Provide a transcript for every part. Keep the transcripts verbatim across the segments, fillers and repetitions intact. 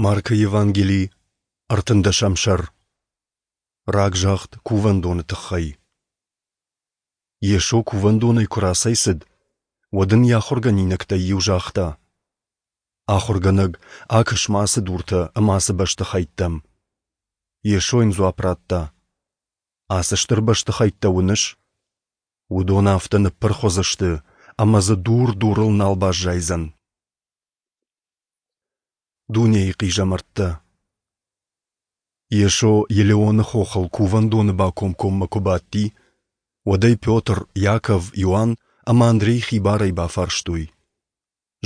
Маркы Евангели, ӕртындӕсӕм сӕр. Рагзагъд кувӕндоны тыххӕй. Йесо кувӕндонӕй куы рацӕйцыд, уӕд ын йӕ ахуыргӕнинӕгтӕй иу загъта: Ахуыргӕнӕг, акӕс-ма ацы дуртӕ ӕмӕ ацы бӕстыхӕйттӕм. Йесо йын дзуапп радта: Ацы стыр бӕстыхӕйттӕ уыныс? Уыдон афтӕ ныппырх уыдзысты, ӕмӕ дзы дур дурыл нал баззайдзӕн. Дунейы хъизӕмӕрттӕ. Йесо Елеоны хохыл кувӕндоны бакомкоммӕ куы бадти, уӕд ӕй Петр, Иаков, Иоанн ӕмӕ Андрей хибарӕй бафарстой: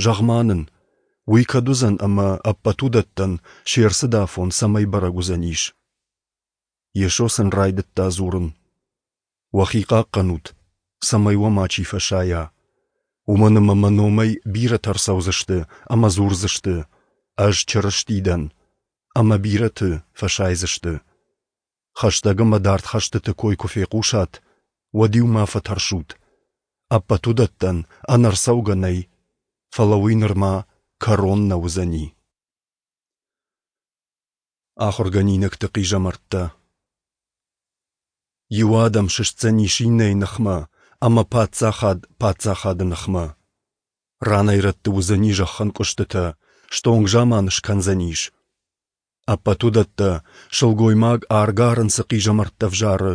Зӕгъ-ма нын, уый кӕд уыдзӕн ӕмӕ ӕппӕт уыдӕттӕн се рцыд афон цӕмӕй бӕрӕг уыдзӕнис? Йесо сын райдыдта дзурын: Уӕхи хъахъхъӕнут, цӕмӕй уӕ мачи фӕсайа. Уымӕн ӕмӕ мӕ номӕй бирӕтӕ ӕрцӕудзысты ӕмӕ дзурдзысты: Ӕз Чырысти дӕн, ӕмӕ бирӕты фӕсайдзысты. Хӕстӕг ӕмӕ дард хӕстыты кой куы фехъусат, уӕд-иу ма фӕтӕрсут. Ӕппӕт уыдӕттӕн ӕнӕрцӕугӕ нӕй, фӕлӕ уый нырма кӕрон нӕ уыдзӕни. Ахуыргӕнинӕгты хъизӕмӕрттӕ. Иу адӕм сыстдзӕнис иннӕйы ныхмӕ, ӕмӕ паддзахад паддзахады ныхмӕ. Ранӕй-рӕтты уыдзӕни зӕххӕнкъуыстытӕ, стонг заман скӕндзӕнис. Ӕппӕт уыдӕттӕ, сылгоймаг аргӕ-арын цы хъизӕмӕрттӕ взары,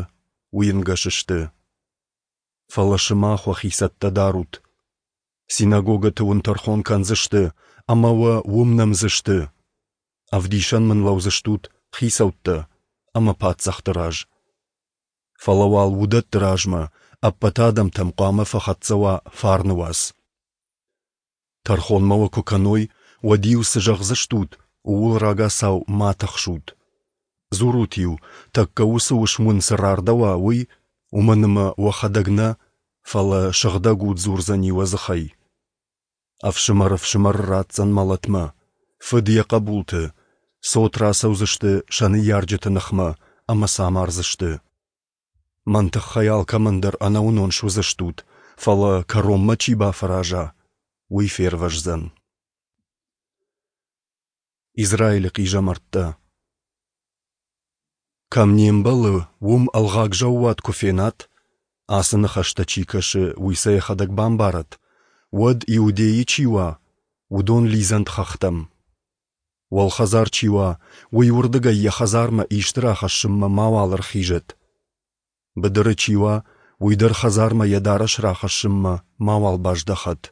уый ӕнгӕс сты. Фӕлӕ сымах уӕхи цӕттӕ дарут. Синагогӕты уын тӕрхон кӕндзысты ӕмӕ уӕ уым нӕмдзысты. Ӕвдисӕн мын лӕудзыстут хицӕуттӕ ӕмӕ паддзӕхты раз. Фӕлӕ уал уыдӕтты размӕ ӕппӕт адӕмтӕм хъуамӕ фӕхӕццӕ уа фарны уац. Тӕрхонмӕ уӕ куы кӕной, уӕд-иу цы зӕгъдзыстут, ууыл рагацау ма тыхсут. Дзурут-иу, тӕккӕ уыцы уысм уын цы рардӕуа, уый, уымӕн ӕмӕ уӕхӕдӕг нӕ, фӕлӕ Сыгъдӕг Уд дзурдзӕни уӕ дзыхӕй. Ӕфсымӕр ӕфсымӕры ратдзӕн мӕлӕтмӕ, фыд йӕ хъӕбулты, цот рацӕудзысты сӕ ныййарджыты ныхмӕ ӕмӕ сӕ амардзысты. Мӕн тыххӕй алкӕмӕн дӕр ӕнӕуынон суыдзыстут, фӕлӕ кӕронмӕ чи бафӕраза, уый фервӕздзӕн. Израилы хъизӕмӕрттӕ. Кӕм не мбӕлы, уым ӕлгъаг заууат куы фенат, ацы ныхӕстӕ чи кӕсы, уый сӕ йӕхӕдӕг бамбарӕд, уӕд Иудейы чи уа, уыдон лидзӕнт хӕхтӕм. Уӕлхӕдзар чи уа, уый уырдыгӕй йӕ хӕдзармӕ исты рахӕссынмӕ мауал ӕрхизӕд. Быдыры чи уа, уый дӕр хӕдзармӕ йӕ дарӕс рахӕссынмӕ мауал баздӕхӕд.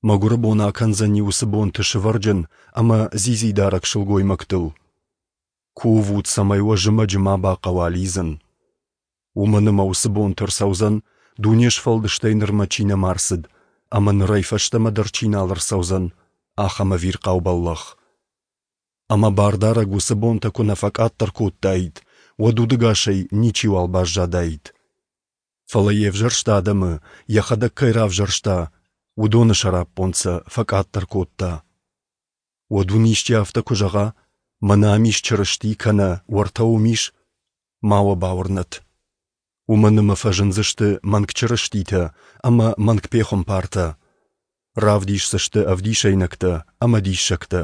Мӕгуыры бон акӕндзӕни уыцы бонты сывӕрджын ӕмӕ дзидзидарӕг сылгоймӕгтыл. Кувут, цӕмӕй уӕ зымӕджы ма бахъӕуа лидзын. Уымӕн ӕмӕ уыцы бонты ӕрцӕудзӕн, дуне сфӕлдыстӕй нырмӕ чи нӕма ӕрцыд, ӕмӕ нырӕй фӕстӕмӕ дӕр чи нал ӕрцӕудзӕн, ахӕм ӕвирхъау бӕллӕх. Ӕмӕ Бардарӕг уыцы бонтӕ куы нӕ фӕкъаддӕр кодтаид, уӕд удӕгасӕй ничиуал баззадаид. Фӕлӕ йе взӕрст адӕмы, йӕхӕдӕг кӕй равзӕрста, уыдоны сӕраппонд сӕ фӕкъаддӕр кодта. Уӕд уын исчи афтӕ куы зӕгъа, мӕнӕ ам ис Чырысти кӕнӕ уӕртӕ уым ис, ма уӕ бауырнӕд. Уымӕн ӕмӕ фӕзындзысты мӕнг чырыститӕ ӕмӕ мӕнг пехуымпартӕ. Равдисдзысты ӕвдисӕйнӕгтӕ ӕмӕ диссӕгтӕ,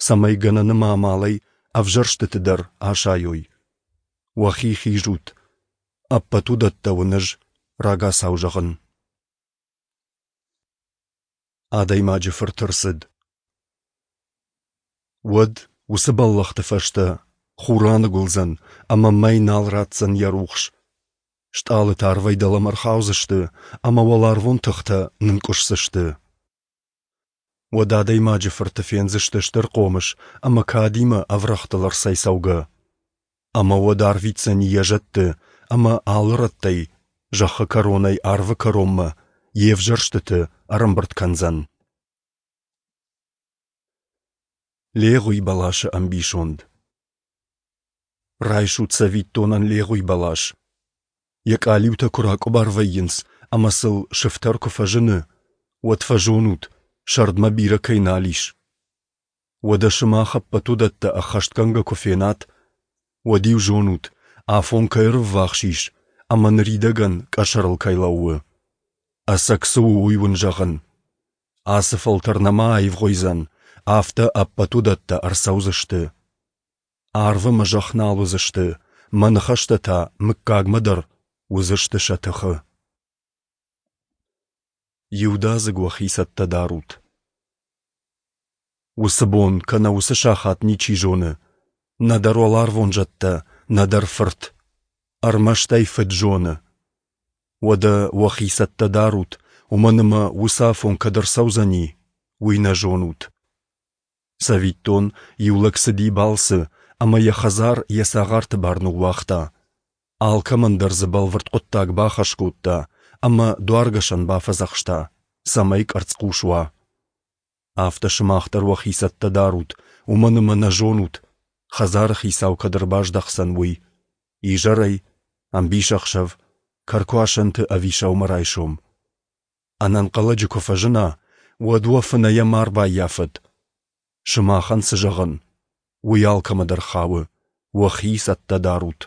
цӕмӕй гӕнӕн ӕмӕ амалӕй ӕвзӕрстыты дӕр асайой. Уӕхи хизут. Ӕппӕт уыдӕттӕ уын ӕз рагацау зӕгъын. Адӕймаджы фырт ӕрцыд. Уӕд уыцы бӕллӕхты фӕстӕ хур аныгуылдзӕн ӕмӕ мӕй нал ратдзӕн йӕ рухс. Стъалытӕ арвӕй дӕлӕмӕ ӕрхаудзысты ӕмӕ уӕларвон тыхтӕ нынкъуысдзысты. Уӕд Адӕймаджы фырты фендзысты стыр хъомыс ӕмӕ кадимӕ ӕврӕгътыл ӕрцӕйцӕугӕ. Ӕмӕ уӕд арвитдзӕни йӕ зӕдты ӕмӕ алы рӕттӕй, зӕххы кӕронӕй арвы кӕронмӕ, йе взӕрстыты ӕрӕмбырд кӕндзӕн. Легъуи бӕласы ӕмбисонд. Райсут цӕвиттонӕн легъуи бӕлас. Йӕ къалиутӕ куы ракъуыбар вӕййынц ӕмӕ сыл сыфтӕр куы фӕзыны, уӕд фӕзонут, сӕрдмӕ бирӕ кӕй нал ис. Уӕдӕ сымах ӕппӕт уыдӕттӕ ӕххӕстгӕнгӕ куы фенат, уӕд-иу зонут, афон кӕй ӕрыввахс ис ӕмӕ ныридӕгӕн къӕсӕрыл кӕй лӕууы. Ӕцӕг цы у, уый уын зӕгъын. Ацы фӕлтӕр нӕма аивгъуыйдзӕн, афтӕ ӕппӕт уыдӕттӕ ӕрцӕудзысты. Арв ӕмӕ зӕхх нал уыдзысты, мӕ ныхӕстӕ та мыггагмӕ дӕр уыдзысты сӕ тыхы. Иудадзыг уӕхи цӕттӕ дарут. Уыцы бон кӕнӕ уыцы сахат ничи зоны, нӕдӕр уӕларвон зӕдтӕ, нӕдӕр Фырт. Ӕрмӕст ӕй Фыд зоны. Уӕдӕ уӕхи цӕттӕ дарут, уымӕн ӕмӕ уыцы афон кӕд ӕрцӕудзӕни, уый нӕ зонут. Цӕвиттон, иу лӕг цыди балцы, ӕмӕ йӕ хӕдзар йӕ цагъарты бар ныууагъта. Алкӕмӕн дӕр дзы бӕлвырд хъуыддаг бахӕс кодта ӕмӕ дуаргӕсӕн бафӕдзӕхста, цӕмӕй къӕрцхъус уа. Афтӕ сымах дӕр уӕхи цӕттӕ дарут, уымӕн ӕмӕ нӕ зонут, хӕдзары хицау кӕд ӕрбаздӕхдзӕн, уый: изӕрӕй, ӕмбисӕхсӕв, кӕркуасӕнты ӕви сӕумӕрайсом. Ӕнӕнхъӕлӕджы куы фӕзына, уӕд уӕ фынӕйӕ ма ӕрбаййафӕд. Сымахӕн цы зӕгъын, уый алкӕмӕ дӕр хауы: уӕхи цӕттӕ дарут.